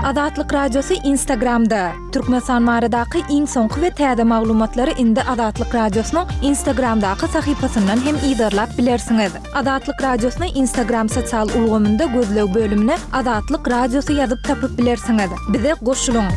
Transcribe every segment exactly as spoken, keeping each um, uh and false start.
Azatlyk Radiosy Instagramda. Türkmenistan baradaky iň soňky we täze maglumatlary indi Azatlyk Radiosynyň Instagramdaky sahypasyndan hem yzarlap bilersiňiz. Azatlyk Radiosyny Instagram sosial ulgamynda gözleg bölümine Azatlyk Radiosy ýazyp tapyp bilersiňiz. Bize goşulyň.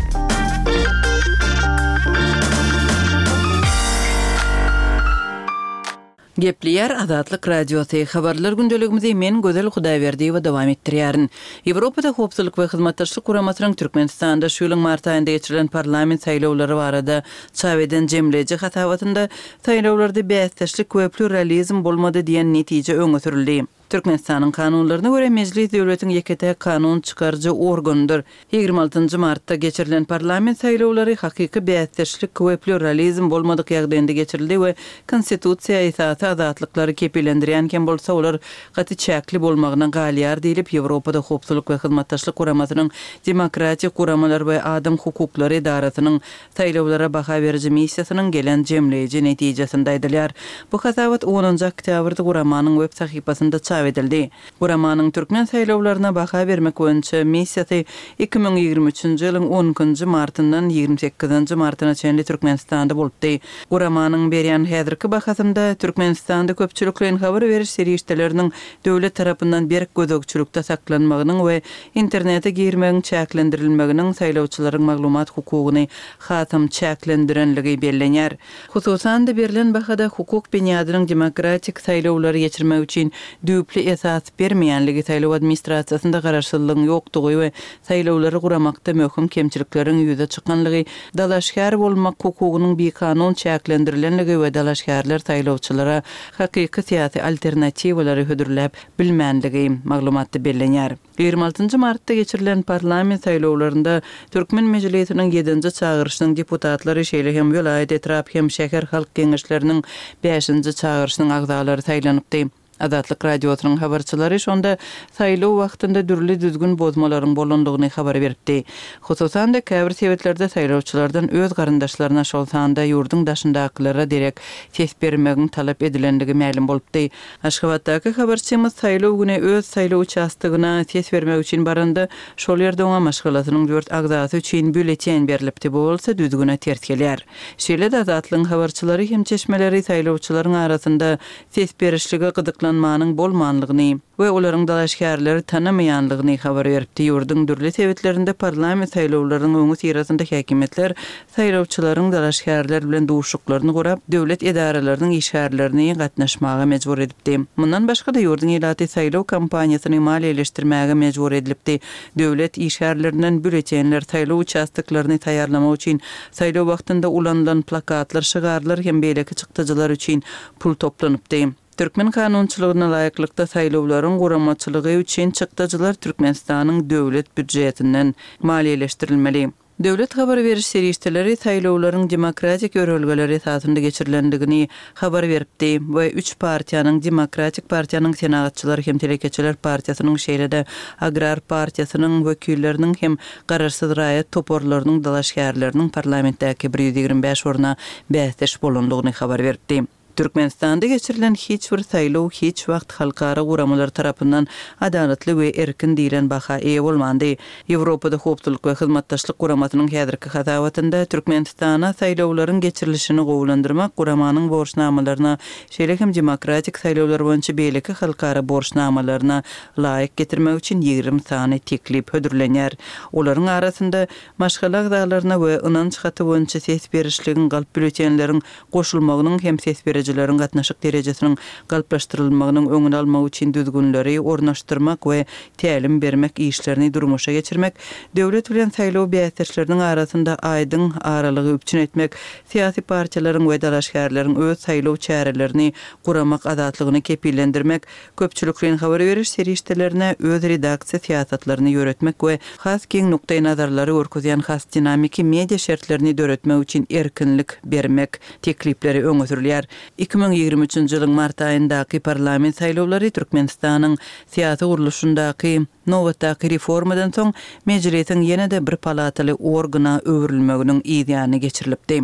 Gepleýär Azatlyk Radiosy. Habarlar gündeligimizi men Gözel Hudaýberdiýewa dowam etdirýärin. Ýewropada Howpsuzlyk we Hyzmatdaşlyk Guramasynyň Türkmenistanda şu ýylyň mart aýynda geçirilen parlament saýlawlary barada çap eden jemleýji hasabatynda saýlawlarda bäsdeşlik we pluralizm bolmady diýen netije öňe sürüldi. Türkmenistanyň kanunlaryna görä, Mejlis döwletiň ýeke-täk kanun çykaryjy organydyr. Ýigrimi altynjy martda geçirilen parlament saýlawlary hakyky bäsdeşlik we pluralizm bolmadyk ýagdaýynda geçirildi we Konstitusiýa esasy azatlyklary kepillendirýän hem bolsa, olar gaty çäkli bolmagyna galýar diýlip, Ýewropada Howpsuzlyk we Hyzmatdaşlyk Guramasynyň Demokratik guramalar we adam hukuklary edarasynyň Saýlawlara baha beriji missiýasynyň gelen jemleýji netijesinde aýdylýar. Bu hasabat onunjy oktýabrda guramanyň web sahypasynda çap edildi. Guramanyň türkmen saýlawlaryna baha bermek boýunça missiýasy iki müň ýigrimi üçünji ýylyň on ikinji martyndan ýigrimi sekizinji martyna çenli Türkmenistanda bolupdy. Guramanyň berýän häzirki bahasynda Türkmenistanda köpçülikleýin habar beriş serişdeleriniň döwlet tarapyndan berk gözegçilikde saklanmagynyň we internete girmegiň çäklendirilmeginiň saýlawçylaryň maglumat hukugyny hasam çäklendirenligi bellenýär. Hususan-da, berlen bahada hukuk binýadynyň demokratik saýlawlary geçirmek üçin düýpli esas bermeýänligi, saýlaw administrasiýasynda garaşsyzlygyň ýokdugy we saýlawlary guramakda möhüm kemçilikleriň ýüze çykanlygy, dalaşgär bolmak hukugynyň bikanun çäklendirilenligi we dalaşgärler saýlawçylara hakyky syýasy alternatiwalary hödürläp bilmänligi maglumatda bellenýär. Ýigrimi altynjy martda geçirilen parlament saýlawlarynda Türkmen Mejlisiniň ýedinji çagyryşynyň deputatlary, şeýle hem welaýat, etrap hem şäher halk geňeşleriniň bäşinji çagyryşynyň agzalary saýlanypdy. Azatlyk Radiosynyň habarçylary şonda saýlaw wagtynda dürli düzgün bozmalaryň bolandygyny habar beripdi. Hususan-da, käbir sebitlerde saýlawçylardan öz garyndaşlaryna, şol sanda ýurduň daşyndakylara derek ses bermegiň talap edilendigi mälim bolupdy. Aşgabatdaky habarçymyz saýlaw güni öz saýlaw uçastogyna ses bermek üçin baranda, şol ýerde oňa maşgalasynyň dört agzasy üçin býulleten berlipdi, bu bolsa düzgüne ters gelýär. Şeýle-de Azatlygyň habarçylary hem çeşmeleri saýlawçylaryň arasynda ses berişlige gyzyklanmanyň bolmanlygyny we olaryň dalaşgärleri tanamaýanlygyny habar beripdi. Ýurduň dürli sebitlerinde parlament saýlawlarynyň öňüsyrasynda häkimiýetler saýlawçylaryň dalaşgärler bilen duşuşyklaryny gurap, döwlet edaralarynyň işgärlerini gatnaşmaga mejbur edipdi. Mundan başga-da, ýurduň ilaty saýlaw kampaniýasyny maliýeleşdirmäge mejbur edilipdi. Döwlet işgärlerinden býulletenler, saýlaw uçastoklaryny taýýarlamak üçin saýlaw wagtynda ulanylan plakatlar, şygarlar hem beýleki çykdajylar üçin pul toplanypdy. Türkmen kanunçylygyna laýyklykda, saýlawlaryň guramaçylygy üçin çykdajylar Türkmenistanyň döwlet býujetinden maliýeleşdirilmeli. Döwlet habar beriş serişdeleri saýlawlaryň demokratik ýörelgeler esasynda geçirilendigini habar beripdi we üç partiýanyň, Demokratik partiýanyň, Senagatçylar hem telekeçiler partiýasynyň, şeýle-de Agrar partiýasynyň wekilleriniň hem garaşsyz raýat toparlarynyň dalaşgärleriniň parlamentdäki bir ýüz ýigrimi bäş orna bäsdeş bolandygyny habar beripdi. Türkmenistanda geçirilen hiç bir saýlaw hiç wagt halkara guramalary tarapyndan adalatly we erkin diýlen baha eýe bolmandy. Ýewropada Howpsuzlyk we Hyzmatdaşlyk Guramasynyň häzirki hasabatynda Türkmenistana saýlawlaryň geçirilişini gowulandyrmak guramanyň borçnamalaryna, şeýle hem demokratik saýlawlar boýunça beýleki halkara borçnamalaryna laýyk getirmek üçin ýigrimi sany teklip hödürlenýär. Olaryň arasynda maşgala agzalaryna we ynanç haty boýunça ses berişligiň galp býulletenleriň goşulmagynyň hem ses berijileriň gatnaşyk derejesiniň galplaşdyrylmagynyň öňüni almak üçin düzgünleri ornaşdyrmak we tälim bermek işlerini durmuşa geçirmek, döwlet bilen saýlaw bäsdeşleriniň arasynda aýdyň aralygy üpjün etmek, syýasy partiýalaryň we dalaşgärleriň öz saýlaw çärelerini guramak azatlygyny kepillendirmek, köpçülikleýin habar beriş serişdelerine öz redaksiýa syýasatlaryny ýöretmek we has giň nukdaýnazarlary görkezýän has dinamiki media şertlerini döretmek üçin erkinlik bermek teklipleri öňe sürülýär. Iki müň ýigrimi üçünji ýylyň mart aýyndaky parlament saýlawlary Türkmenistanyň syýasy gurluşyndaky nobatdaky reformadan soň Mejlisiň ýene-de bir palataly organa öwrülmeginiň yz ýany geçirilipdi.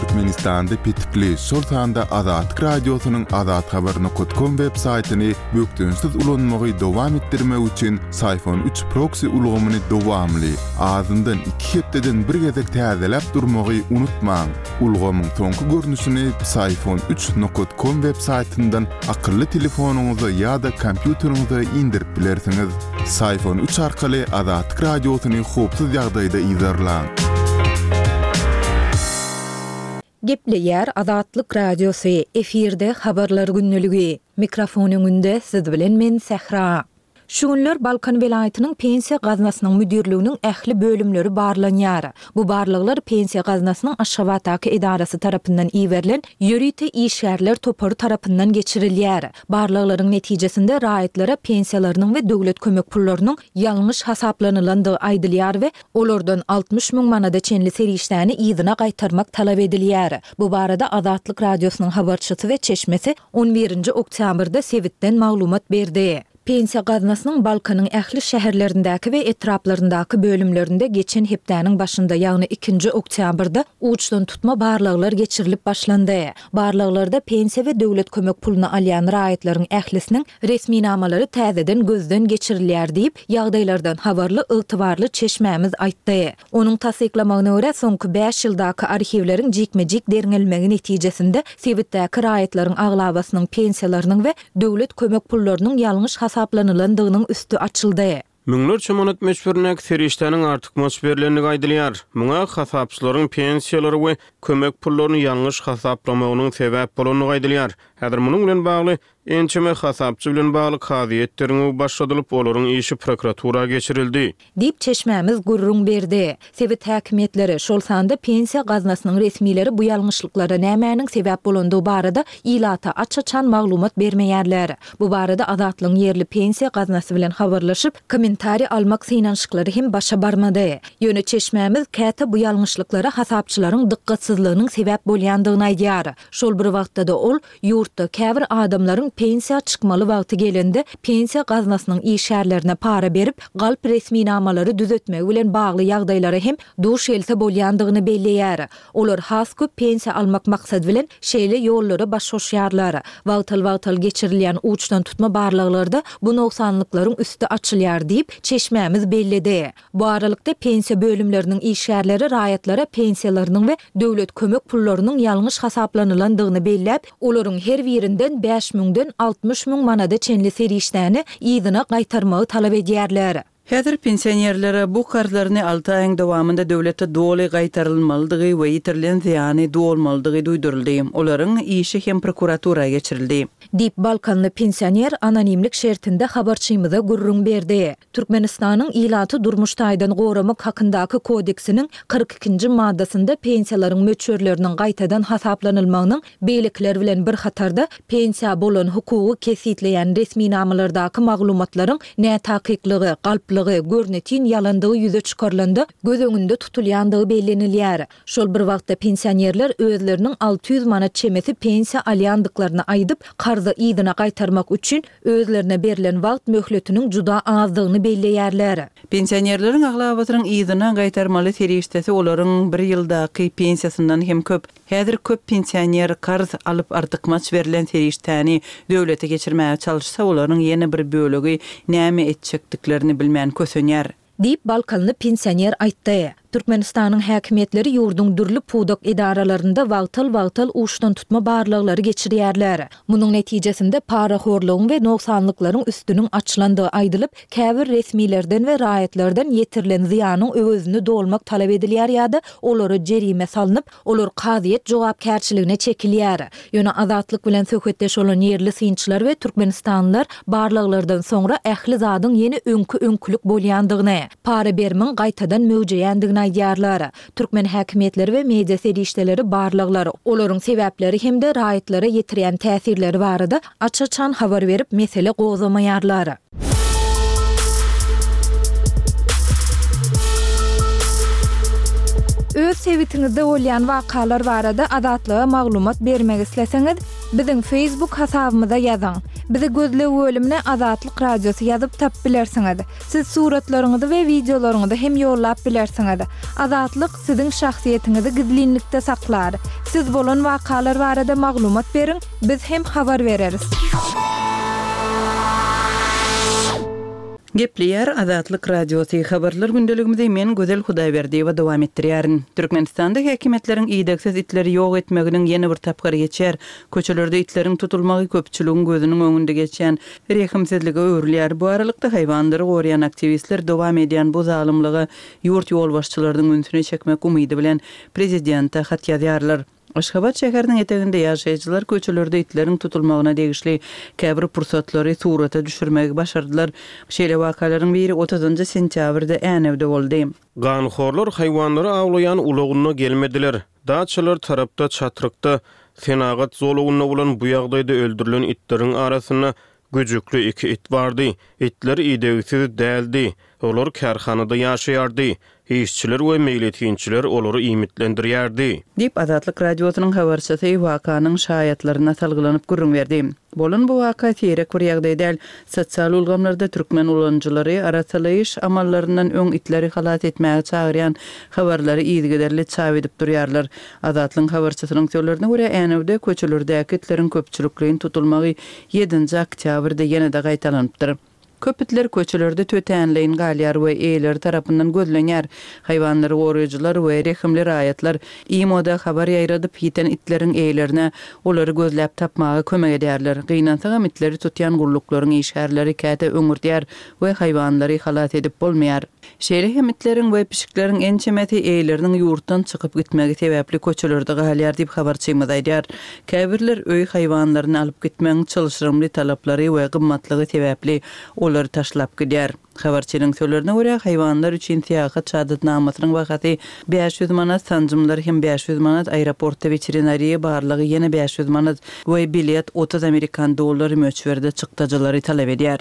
Türkmenistanda petikli, şol sanda Azatlyk Radiosynyň azathabar nokat kom web saýtyny bökdençsiz ulanmagy dowam etdirmek üçin Syfon üç proksi ulgamyny dowamly, azyndan iki hepdeden bir gezek täzeläp durmagy unutmaň. Ulgamyň soňky görnüşini Syfon üç nokat kom web saýtyndan akylly telefonyňyza ýa-da kompýuteriňize indirip bilersiňiz. Syfon üç arkaly Azatlyk Radiosyny howpsuz ýagdaýda yzarlaň. Gepleýär Azatlyk Radiosy, efirde habarlar gündeligi. Mikrofon öňünde siz bilen men Sähra. Şu günler Balkan welaýatynyň Pensiýa gaznasynyň müdirliginiň ähli bölümleri barlanýar. Bu barlaglar Pensiýa gaznasynyň Aşgabatdaky edarasy tarapyndan iberilen ýörite işgärler topary tarapyndan geçirilýär. Barlaglaryň netijesinde raýatlara pensiýalarynyň we döwlet kömek pullarynyň ýalňyş hasaplanylandygy aýdylýar we olardan altmyş müň manada çenli serişdäni yzyna gaýtarmak talap edilýär. Bu barada Azatlyk Radiosynyň habarçysy we çeşmesi on birinji oktýabrda sebitden maglumat berdi. Pensiýa gaznasynyň Balkanyň ähli şäherlerindäki we etraplaryndaky bölümlerinde geçen hepdäniň başynda, ýagny ikinji oktýabrda uçdan tutma barlaglar geçirilip başlandy. Barlaglarda pensiýa we döwlet kömek puluny alýan raýatlaryň ählisiniň resminamalary täzeden gözden geçirilýär diýip, ýagdaýlardan habarly ygtybarly çeşmämiz aýtdy. Onuň tassyklamagyna görä, soňky bäş ýyldaky arhiwleriň jikme-jik derňelmegi netijesinde sebitdäki raýatlaryň aglabasynyň pensiýalarynyň we döwlet kömek pullarynyň ýalňyş hasaplanylandygynyň üsti açyldy. Müňlerçe manat möçberindäki serişdäniň artykmaç berilendigi aýdylýar. Muňa hasapçylaryň pensiýalary we kömek pullaryny ýalňyş hasaplamagynyň sebäp bolandygy aýdylýar. Häzir munuň bilen bagly ençeme hasapçy bilen bagly kazyýet derňewi başladylyp, olaryň işi prokuratura geçirildi. Diýip çeşmämiz gürrüň berdi. Sebit häkimiýetleri, şol sanda pensiýa gaznasynyň resmileri bu ýalňyşlyklara nämäniň sebäp bolandygy barada ilata aç-açan maglumat bermeýärler. Bu barada Azatlygyň ýerli pensiýa gaznasy bilen habarlaşyp, kommentariý almak synanyşyklary hem başa barmady. Ýöne çeşmämiz käte bu ýalňyşlyklara hasapçylaryň dykgatsyzlygynyň sebäp bolýandygyny aýdýar. Şol bir wagtda-da ol ýurtda käbir adamlaryň pensiýa çykmaly wagty gelende pensiýa gaznasynyň işgärlerine para berip, galp resminamalary düzetmegi bilen bagly ýagdaýlara hem duş gelse bolýandygyny belleýär. Olar has köp pensiýa almak maksady bilen şeýle ýollara baş goşýarlar. Wagtal-wagtal geçirilýän uçdan tutma barlaglarda bu nogsanlyklaryň üsti açylýar diýip çeşmämiz belledi. Bu aralykda pensiýa bölümleriniň işgärleri raýatlara pensiýalarynyň we döwlet kömek pullarynyň ýalňyş hasaplanylandygyny belläp, olaryň her birinden bäş müňden altmyş müň manada çenli serişdäni yzyna gaýtarmagy talap edýärler. Häzir pensionerlere bu karzlaryny alty aýyň dowamynda döwlete doly gaýtarylmalydygy we ýitirilen zyýany dolmalydygy duýduryldy. Olaryň işi hem prokuratura geçirildi. Diýip Balkanly pensioner anonimlik şertinde habarçymyza gürrüň berdi. Türkmenistanyň ilaty durmuş taýdan goramak hakyndaky kodeksiniň kyrk ikinji maddasynda pensiýalaryň möçberleriniň gaýtadan hasaplanylmagynyň beýlekiler bilen bir hatarda pensiýa bolan hukugy kesgitleýän resminamalardaky maglumatlaryň nätakyklygy, galplygy, görnetin ýalandygy ýüze çykarylanda göz öňünde tutulýandygy bellenilýär. Şol bir wagtda pensionerler özleriniň alty ýüz manat çemesi pensiýa alýandyklaryny aýdyp, karzy yzyna gaýtarmak üçin özlerine berlen wagt möhletiniň juda azdygyny belleýärler. Pensionerleriň aglabasynyň yzyna gaýtarmaly serişdesi olaryň bir ýyldaky pensiýasyndan hem köp. Häzir köp pensioner karz alyp artykmaç berlen serişdäni döwlete geçirmäge çalyşsa, olaryň ýene bir bölegi näme etjekdiklerini bilmän kösenýär. Diýip Balkanly pensioner aýtdy. Türkmenistanyň häkimiýetleri ýurduň dürli pudak edaralarynda wagtal-wagtal uçdan tutma barlaglary geçirýärler. Munuň netijesinde parahorlugyň we nogsanlyklaryň üstüniň açylandygy aýdylyp, käbir resmilerden we raýatlardan ýetirilen zyýanyň öwezini dolmak talap edilýär ýa-da olara jerime salnyp, olar kazyýet jogapkärçiligine çekilýär. Ýöne Azatlyk bilen söhbetdeş bolan ýerli synçylar we Türkmenistanlylar barlaglardan soňra ähli zadyň ýene öňkü-öňkülük bolýandygyny, para berimiň gaýtadan möwjeýändigini aýdýarlar. Türkmen häkimiýetleri we media serişdeleri barlaglar, olaryň sebäpleri hem-de raýatlara ýetirýän täsirleri barada aç-açan habar berip mesele gozamaýarlar. Öz sebitiňizde bolýan wakalar barada Azatlyga maglumat bermek isleseňiz, Biziň Facebook hasabymyza ýazyň. Bizi gözleg bölümine Azatlyk Radiosy ýazyp tapyp bilersiňiz. Siz suratlaryňyzy we wideolaryňyzy hem ýollap bilersiňiz. Azatlyk siziň şahsyýetiňizi gizlinlikde saklar. Siz bolan wakalar barada maglumat beriň, biz hem habar bereris. Gepleýär Azatlyk Radiosy habarlar gündeligimizi men Gözel Hudaýberdiýewa dowam etdirýärin. Türkmenistanda häkimiýetleriň idegsiz itleri ýok etmeginiň ýene bir tapgyry geçýär. Köçelerde itleriň tutulmagy köpçüligiň gözüniň öňünde geçýän rehimsizlige öwrülýär. Bu aralykda haýwanlary goraýan aktiwistler dowam edýän bu zalymlyga ýurt ýolbaşçylarynyň ünsüni çekmek umydy bilen prezidente hat ýazýarlar. Aşgabat şäheriniň eteginde ýaşaýjylar köçelerde itleriň tutulmagyna degişli käbir pursatlary surata düşürmegi başardylar. Şeýle wakalaryň biri otuzynjy sentýabrda Änewde boldy. Ganhorlar haýwanlary awlaýan ulagynda gelmediler. Daçalar tarapda çatrykda senagat zolagynda bolan bu ýagdaýda öldürilen itleriň arasynda güjükli iki it bardy. Itler idegsiz däldi. Olar kärhanada ýaşaýardy. Işçiler we meýletinçiler olary iýmitlendirýärdi. Diýip Azatlyk Radiosynyň habarçysy wakanyň şaýatlaryna salgylanyp gürrüň berdi. Bolan bu waka seýrek bir ýagdaý däl. Sosial ulgamlarda türkmen ulanyjylary arassalaýyş amallaryndan öň itleri halas etmäge çagyrýan habarlary yzygiderli çap edip durýarlar. Azatlygyň habarçysynyň sözlerine görä, Änewde köçelerdäki itleriň köpçülikleýin tutulmagy ýedinji oktýabrda ýene-de gaýtalanypdyr. Köp itler köçelerde tötänleýin galýar we eýeleri tarapyndan gözlenýär. Haýwanlary goraýjylar we rehimli raýatlar imoda habar ýaýradyp, ýiten itleriň eýelerine olary gözläp tapmaga kömek edýärler. Gynansagam itleri tutýan gulluklaryň işgärleri käte öňürdýär we haýwanlary halas edip bolmaýar. Şeýle hem itleriň we pişikleriň ençemesi eýeleriniň ýurtdan çykyp gitmegi sebäpli köçelerde galýar diýip habarçymyz aýdýar. Käbirler öý haýwanlaryny alyp gitmegiň çylşyrymly talaplary we gymmatlygy sebäpli olary taşlap gidýär. Habarçynyň sözlerine görä, haýwanlar üçin syýahat şahadatnamasynyň bahasy bäş ýüz manat, sanjymlar hem bäş ýüz manat, aeroportda weterinariýa barlagy ýene bäş ýüz manat we bilet otuz amerikan dollary möçberde çykdajylary talap edýär.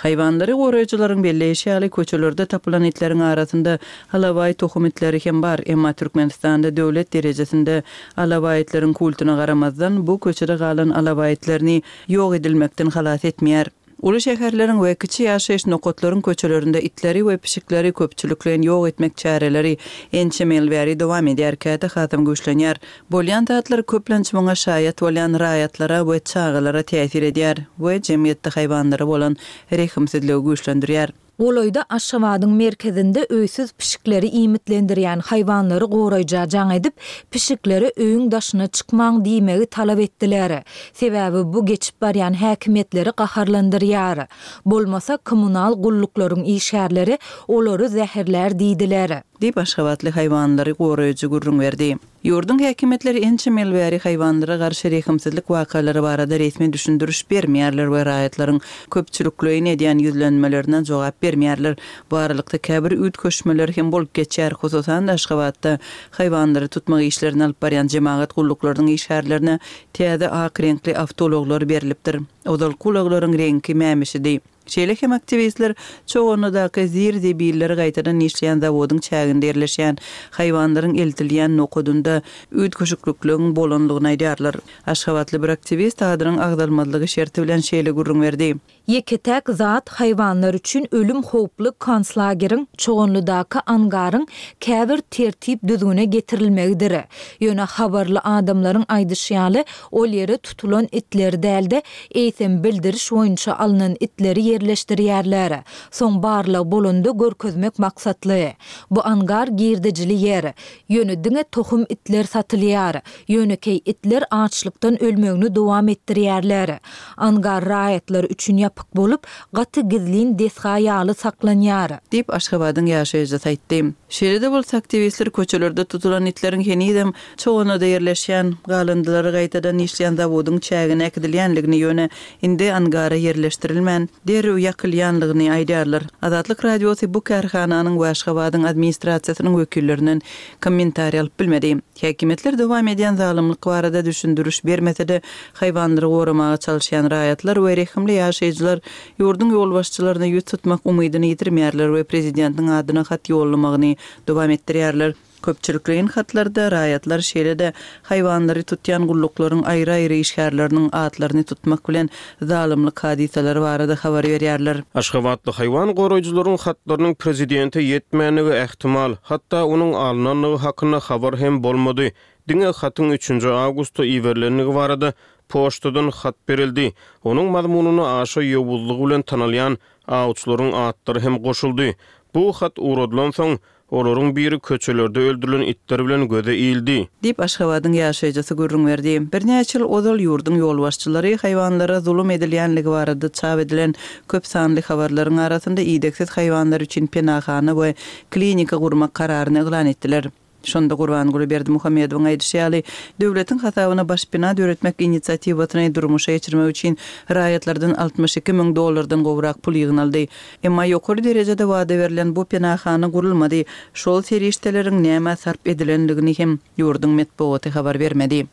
Haýwanlary goraýjylaryň belleýşi ýaly, köçelerde tapylan itleriň arasynda alabaý tohum itleri hem bar, emma Türkmenistanda döwlet derejesinde alabaý itleriň kultuna garamazdan, bu köçede galan alabaý itlerini ýok edilmekden halas etmeýär. Uly şäherleriň we kiçi ýaşaýyş nokatlaryň köçelerinde itleri we pişikleri köpçülikleýin ýok etmek çäreleri ençeme ýyl bäri dowam edýär, käte hasam güýçlenýär. Bolýan zatlar köplenç muňa şaýat bolýan raýatlara we çagalara täsir edýär we jemgyýetde haýwanlara bolan rehimsizligi güýçlendirýär. Golaýda Aşgabadyň merkezinde öýsüz pişikleri iýmitlendirýän haýwanlary goraýja jaň edip, pişiklere öýüň daşyna çykmaň diýmegi talap etdiler. Sebäbi bu geçip barýan häkimiýetleri gaharlandyrýar. Bolmasa kommunal gulluklaryň işgärleri olary zäherlär diýdiler. Diýip Aşgabatly haýwanlary goraýjy gürrüň berdi. Ýurduň häkimiýetleri ençeme ýyl bäri haýwanlara garşy rehimsizlik wakalary barada resmi düşündiriş bermeýärler we raýatlaryň köpçülikleýin edýän ýüzlenmelerine jogap bermeýärler. Bu aralykda käbir üýtgeşmeler hem bolup geçýär. Hususan-da Aşgabatda haýwanlary tutmak işlerini alyp barýan jemagat gulluklarynyň işgärlerine täze ak reňkli awtoulaglar berlipdir. Ozalky ulaglaryň reňki mämişidi. Şeýle hem aktiwistler Çoganlydaky zir-zebilleri gaýtadan işleýän zawodyň çäginde ýerleşýän haýwanlaryň eltilýän nokadynda üýtgeşiklikligiň bolanlygyny aýdýarlar. Aşgabatly bir aktiwist adynyň agzalmazlygy şerti bilen şeýle gürrüň berdi. Ýeke-täk zat haýwanlar üçin ölüm howply konslageriň Çoganlydaky angaryň käbir tertip-düzgüne getirilmegidir. Ýöne habarly adamlaryň aýdyşy ýaly, ol ýere tutulan itleri däl-de, eýsem bildiriş boýunça alnan itleri ýerleşdirýärler. Soň barlag bolanda görkezmek maksatly. Bu angar girdejili ýer. Ýöne diňe tohum itler satylýar. Ýönekeý itler açlykdan ölmegini dowam etdirýärler. Angar raýatlar üçin ýapyk bolup, gaty gizlin desga ýaly saklanýar. Diýip, Aşgabadyň ýaşaýjysy aýtdy. Şeýle-de bolsa, aktiwistler köçelerde tutulan itleriň henizem Çoganlyda ýerleşýän, galyndylary gaýtadan işleýän zawodyň çägine äkidilýänligini, ýöne indi angara ýerleşdirilmän, derrew ýakylýanlygyny aýdýarlar. Azatlyk Radiosy bu kärhananyň we Aşgabadyň administrasiýasynyň wekillerinden kommentariý alyp bilmedi. Häkimiýetler dowam edýän zalymlyk barada düşündiriş bermese-de, haýwanlary goramaga çalyşýan raýatlar we rehimli ýaşaýjylar ýurduň ýolbaşçylaryna ýüz tutmak umydyny ýitirmeýärler we prezidentiň adyna hat ýollamagyny dowam etdirýärler. Köpçülikleýin hatlarda raýatlar şeýle-de haýwanlary tutýan gulluklaryň aýry-aýry işgärleriniň atlaryny tutmak bilen zalymlyk hadysalary barada habar berýärler. Aşgabatly haýwan goraýjylaryň hatlarynyň prezidente ýetmänligi ähtimal, hatda onuň alnandygy hakynda habar hem bolmady. Diňe hatyň üçünji awgustda iberilendigi barada poçtadan hat berildi. Onuň mazmunyna aşa ýowuzlygy bilen tanalýan awçylaryň atlary hem goşuldy. Bu hat ugradylansoň, olaryň biri köçelerde öldürilen itler bilen göze ildi. Diýip, Aşgabadyň ýaşaýjysy gürrüň berdi. Birnäçe ýyl ozal ýurduň ýolbaşçylary haýwanlara zulum edilýänligi barada çap edilen köp sanly habarlaryň arasynda idegsiz haýwanlar üçin penahana we klinika gurmak kararyny yglan etdiler. Şonda Gurbanguly Berdimuhamedowyň aýdyşy ýaly, döwletiň hasabyna baş bina döretmek inisiatiwasyny durmuşa geçirmek üçin raýatlardan altmyş iki müň dollardan gowrak pul ýygnaldy. Emma ýokary derejede wada berlen bu penahana gurulmady. Şol serişdeleriň nämä sarp edilendigini hem ýurduň metbugaty habar bermedi.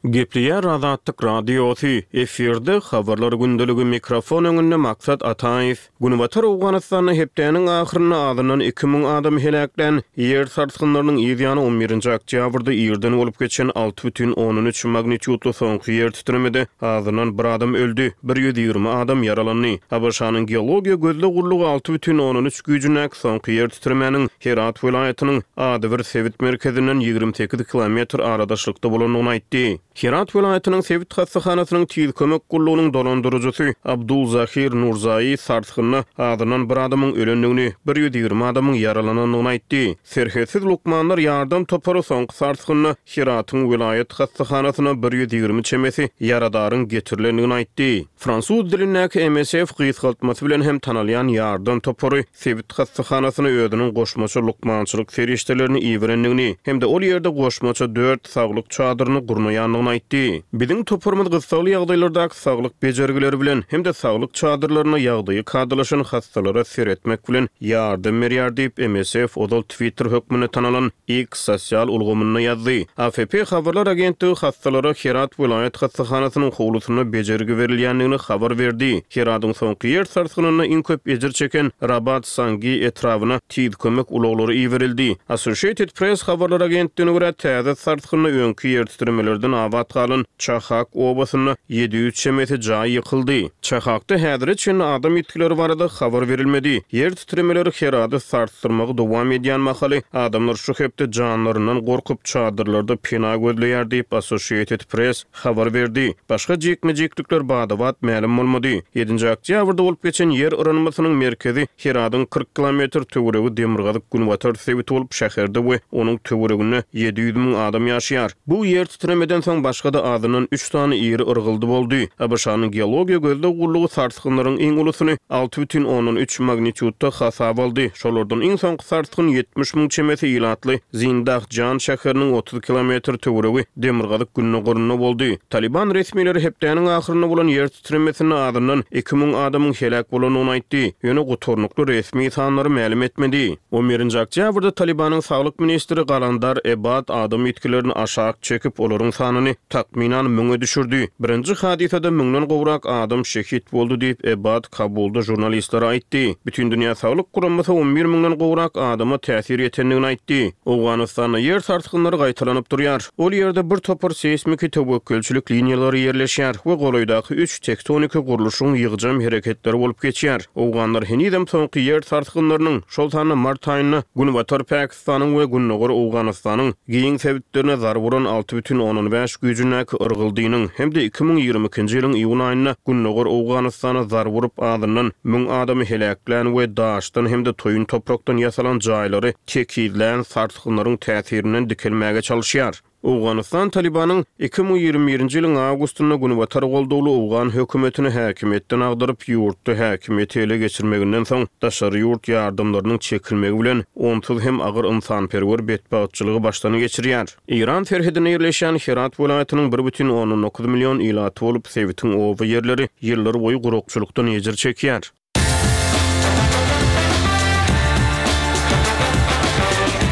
Gepleýär Azatlyk Radiosy, efirde Habarlar gündeligi, mikrofon öňünde Maksat Ataýew. Günbatar Owganystanda hepdäniň ahyrynda azyndan iki müň adamy heläklän ýer sarsgynlarynyň yz ýany on birinji oktýabrda irden bolup geçen alty bütin ondan üç magnitýudly soňky ýer titremede azyndan bir adam öldi, bir ýüz ýigrimi adam ýaralandy. ABŞ-nyň Geologiýa gözleg gullugy alty bütin ondan üç güýjündäki soňky ýer titremäniň Herat welaýatynyň adybir sebit merkezinden ýigrimi sekiz kilometr aradaşlykda bolandygyny aýtdy. Herat welaýatynyň sebit hassahanasynyň tiz kömek gullugynyň dolandyryjysy Abdul Zahir Nurzai sarsgynda azyndan bir adamyň ölendigini, bir ýüz ýigrimi adamyň ýaralanandygyny aýtdy. Serhetsiz lukmanlar ýardam topary soňky sarsgynda Heratyň welaýat hassahanasyna bir ýüz ýigrimi çemesi ýaradaryň getirilendigini aýtdy. Fransuz dilindäki M S F gysgaltmasy bilen hem tanalýan ýardam topary sebit hassahanasyna özüniň goşmaça lukmançylyk serişdelerini iberendigini hem-de ol ýerde goşmaça dört saglyk çadyryny gurnaýandygyny aýtdy. Biziň toparymyz gyssagly ýagdaýlardaky saglyk bejergileri bilen hem-de saglyk çadyrlaryna ýagdaýy kadalaşan hassalara seretmek bilen ýardam berýär diýip M S F ozal Twitter hökmünde tanalan X sosial ulgamynda ýazdy. A F P habarlar agentligi hassalara Herat welaýat hassahanasynyň howlusynda bejergi berilýändigini habar berdi. Heradyň soňky ýer sarsgynynda iň köp ejir çeken Rabat Sangi etrabyna tiz kömek ulaglary iberildi. Associated Press habarlar agentligine görä täze sarsgynda öňki ýer titremelerden abat galan Çahak obasynda ýedi ýüz çemesi jaý ýykyldy. Çahakda häzire çenli adam ýitgileri barada habar berilmedi. Ýer titremeleri Herady sarsdyrmagy dowam edýän mahaly adamlar şu hepde janlaryndan gorkup çadyrlarda pena gözleýär diýip Associated Press habar berdi. Başga jikme-jiklikler badabat mälim bolmady. Ýedinji oktýabrda bolup geçen ýer yranmasynyň merkezi Heradyň kyrk kilometr töweregi demirgazyk günbatar sebiti bolup şäherde we onuň töwereginde ýedi ýüz müň adam ýaşaýar. Bu ýer titremeden soň başga-da azyndan üç sany iri yrgyldy boldy. A B Ş-nyň geologiýa gözleg gullugy sarsgynlaryň iň ulusyny alty bütin ondan üç magnitýudda hasap aldy. Şolardan iň soňky sarsgyn ýetmiş müň çemesi ilatly Zindahjan şäheriniň otuz kilometr töweregi demirgazyk gündogarynda boldy. Taliban resmileri hepdäniň ahyrynda bolan ýer titremesinde azyndan iki müň adamyň heläk bolandygyny aýtdy. Ýöne gutarnykly resmi sanlary mälim etmedi. On birinji oktýabrda Talibanyň saglyk ministri Galandar Ebad adam ýitgilerini aşak çekip, olaryň sanyny takmynan müňe düşürdi. Birinji hadysada müňden gowrak adam şehit boldy diýip Ebad Kabulda jurnalistlere aýtdy. Bütün Dünýä Saglyk Guramasy on bir müňden gowrak adama täsir ýetendigini aýtdy. Owganystanda ýer sarsgynlary gaýtalanyp durýar. Ol ýerde bir topar seýsmiki töwekgelçilik liniýalary ýerleşýär we golaýdaky üç tektoniki gurluşyň ýygjam hereketleri bolup geçýär. Owganlar henizem soňky ýer sarsgynlarynyň, şol sanda mart aýynda Günbatar Pakistanyň we Gündogar Owganystanyň giň sebitlerine zarb uran alty bütin ondan bäş güýjündäki yrgyldynyň hem-de iki müň ýigrimi ikinji ýylyň iýun aýynda Gündogar Owganystana zarb urup azyndan müň adamy heläklän we daşdan hem-de toýun toprakdan ýasalan jaýlary tekizlän sarsgynlaryň täsirinden dikelmäge çalışýar. Owganystan Talibanyň iki müň ýigrimi birinji ýylyň awgustynda Günbatar goldawly Owgan hökümetini häkimiýetden agdaryp, ýurtda häkimiýeti ele geçirmeginden soň daşary ýurt ýardamlarynyň çekilmegi bilen onsuz hem agyr ynsanperwer betbagtçylygy başdan geçirýär. Eýran serhedine ýerleşen Herat welaýatynyň bir bütin ondan dokuz million ilaty bolup, sebitiň oba ýerleri ýyllar boýy gurakçylykdan ejir çekýär.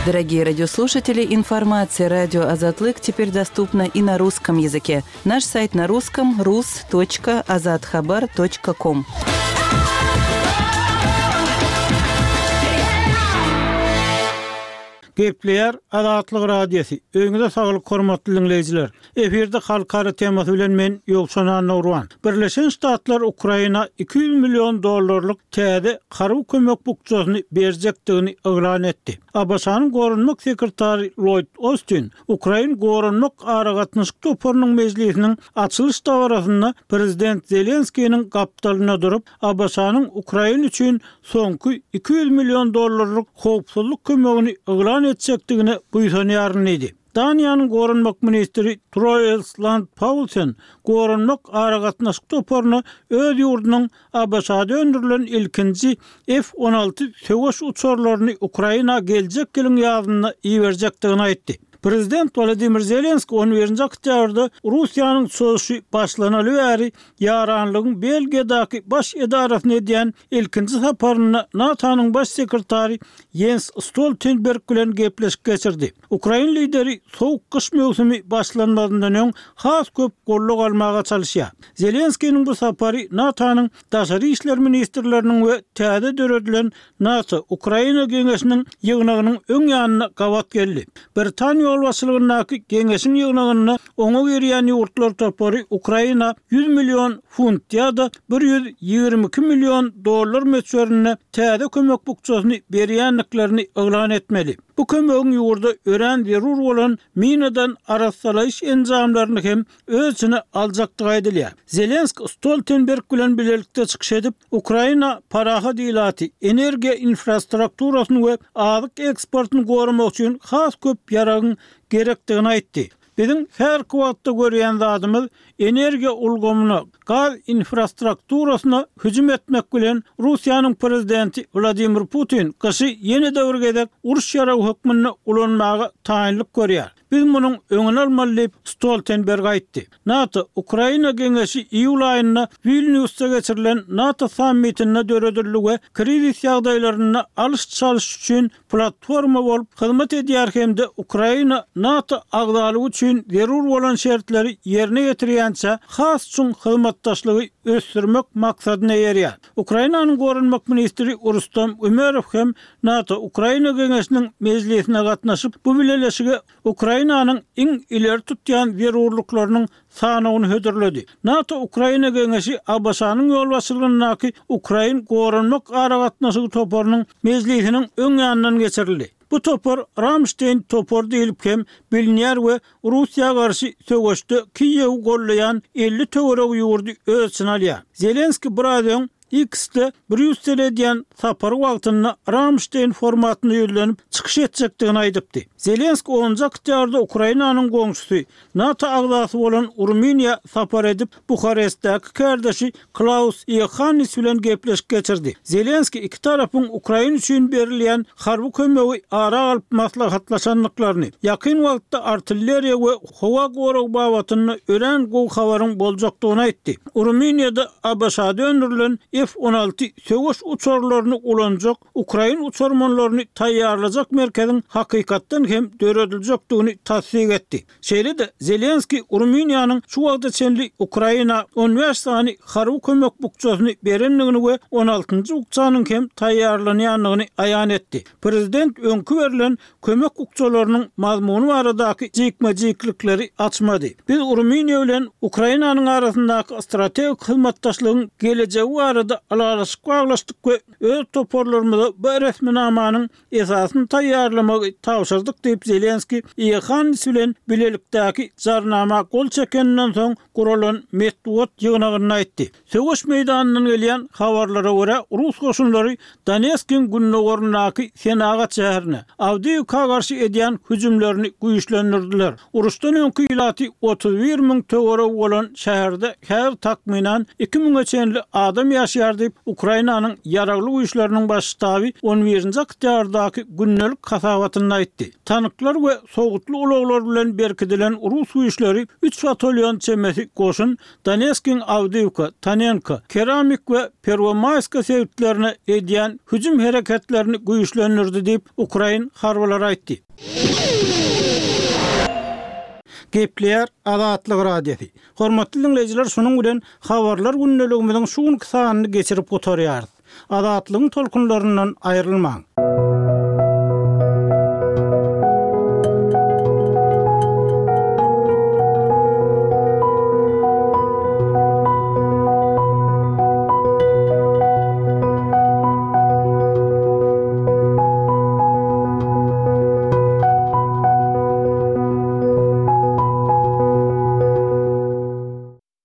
Дорогие радиослушатели, информация радио Азатлык теперь доступна и на русском языке. Наш сайт на русском рус точка азатхабар точка ком. Gepleýär Azatlyk Radiosy. Öýüňize saglyk hormatly dinleýjiler. Efirde halkara temasy bilen men Ýowşan Annagurban. Birleşen Ştatlar Ukraina iki ýüz million dollarlyk täze harby kömek bukjasyny berjekdigini yglan etdi. A B Ş-nyň goranmak sekretary Lloyd Austin Ukrain goranmak aragatnaşyk toparynyň mejlisiniň açylyş dabarasynda Prezident Zelenskiniň gapdalynda durup, A B Ş-nyň Ukrain üçin soňky iki ýüz million dollarlyk howpsuzlyk kömegini yglan etjekdigine buýsanýaryn diýdi. Daniýanyň goranmak ministri Troels Lund Poulsen goranmak aragatnaşyk toparyna öz ýurdunyň A B Ş-da öndürilen ilkinji F on alty söweş uçarlaryny Ukraina geljek ýylyň ýazynda iberjekdigini aýtdy. Prezident Wladimir Zelenski on birinji oktýabrda Russiýanyň çozuşy başlanaly bäri ýaranlygyň Belgiýadaky baş edarasyny edýän ilkinji saparynda NATO-nyň baş sekretary Jens Stoltenberg bilen gepleşik geçirdi. Ukrain lideri soğuk gyş möwsümi başlanmazyndan öň has köp gollag almaga çalyşýar. Zelenskiniň bu sapary NATO-nyň daşary işler ministrleriniň we täze döredilen NATO Ukraina Geňeşiniň ýygnagynyň öň ýanyna gabat geldi. Britaniýa ýolbaşçylygyndaky Geňeşiň ýygnagynda oňa girýän ýurtlar topary Ukraina ýüz million funt ýa-da bir ýüz ýigrimi iki million dollar möçberinde täze kömek bukjasyny berýändiklerini yglan etmeli. Bu kömegiň ýurda örän zerur bolan minadan arassalaýyş enjamlaryny hem öz içine aljakdygy aýdylýar. Zelenski Stoltenberg bilen bilelikde çykyş edip, Ukraina parahat ilaty, energiýa infrastrukturasyny we azyk eksportyny goramak üçin has köp ýaragyň gerekdigini aýtdy. Biziň her wagtda görýän zadymyz energiýa ulgamyna, gaz infrastrukturasyna hüjüm etmek bilen Russiýanyň prezidenti Wladimir Putin gyşy ýene de bir gezek uruş ýaragy hökmünde ulanmaga taýynlyk görýär. Biz munuň öňüni almaly diýip Stoltenberg aýtdy. NATO Ukraina Geňeşi iýul aýynda Wilniusda geçirilen NATO sammitinde döredildi we krizis ýagdaýlarynda alyş-çalyş üçin platforma bolup hyzmat edýär hem-de Ukraina NATO agzalygy üçin zerur bolan şertleri ýerine getirýänçä has çuň hyzmatdaşlygy ösdürmek maksadyna eýerýär. Ukrainanyň goranmak ministri Rustam Umerow hem NATO Ukraina Geňeşiniň mejlisine gatnaşyp, bu bileleşige Ukrainanyň iň ileri tutýan zerurlyklarynyň sanawyny hödürledi. NATO Ukraina Geňeşi A B Ş-nyň ýolbaşçylygyndaky Ukrain goranmak aragatnaşygy toparynyň mejlisiniň öň ýanyndan geçirildi. Bu topar Ramstein topar diýilip hem bilinýär we Russiýa garşy söweşde Kiýewi gollaýan elli töweregi ýurdy öz içine alýar. Zelenski biraz öň X-de Brýussel edýän sapary wagtynda Ramstein formatyna ýüzlenip çykyş etjekdigini aýdypdy. Zelenski onunjy oktýabrda Ukrainanyň goňşusy NATO agzasy bolan Rumyniýa sapar edip, Buharestdäki kärdeşi Klaus Iohannis bilen gepleşik geçirdi. Zelenski iki tarapyň Ukraina üçin berilýän harby kömegi ara alyp maslahatlaşandyklaryny, ýakyn wagtda artilleriýa we howa gorag babatynda örän gowy habaryň boljakdygyny aýtdy. Rumyniýada A B Ş-da öndürilen F on alty söweş uçarlaryny ulanjak Ukrain uçarmanlaryny taýýarlajak merkeziň hakykatdan hem dörediljekdigini tassyk etdi. Şeýle-de Zelenski Rumyniýanyň şu wagta çenli Ukraina on bäş sany harby kömek bukjasyny berendigini we on altynjy bukjanyň hem taýýarlanýandygyny aýan etdi. Prezident öňki berlen kömek bukjalarynyň mazmuny baradaky jikme-jiklikleri açmady. Biz Rumyniýa bilen Ukrainanyň arasyndaky strategik hyzmatdaşlygyň gelejegi barada ylalaşyk baglaşdyk we öz toparlarymyza bu resminamanyň esasyny taýýarlamagy tabşyrdyk diýip Zelenski Iohannis bilen bilelikdäki jarnama gol çekeninden soň guralan metbugat ýygnagynda aýtdy. Söweş meýdanyndan gelýän habarlara görä Rus goşunlary Donetskiň gündogaryndaky senagat şäherine Awdiýewka garşy edýän hüjümlerini güýçlendirdiler. Uruşdan öňki ilaty otuz bir müň töweregi bolan şäherde häzir takmynan iki müňe çenli adam ýaşaýar diýip Ukrainanyň ýaragly güýçleriniň baş ştaby on birinji oktýabrdaky gündelik hasabatynda aýtdy. Tanklar we sowutly ulaglar bilen berkidilen Rus güýçleri üç batalyon çemesi goşun Donetskiň Awdiýewka, Tanenka, Keramik we Perwomaýska sebitlerine edýän hüjüm hereketlerini güýçlendirdi diýip Ukrain harbylary aýtdy. Gepleýär Azatlyk Radiosy. Hormatly dinleýjiler, şunuň bilen habarlar gündeligimiziň şu günki sanyny geçirip gutarýarys. Azatlygyň tolkunlaryndan aýrylmaň.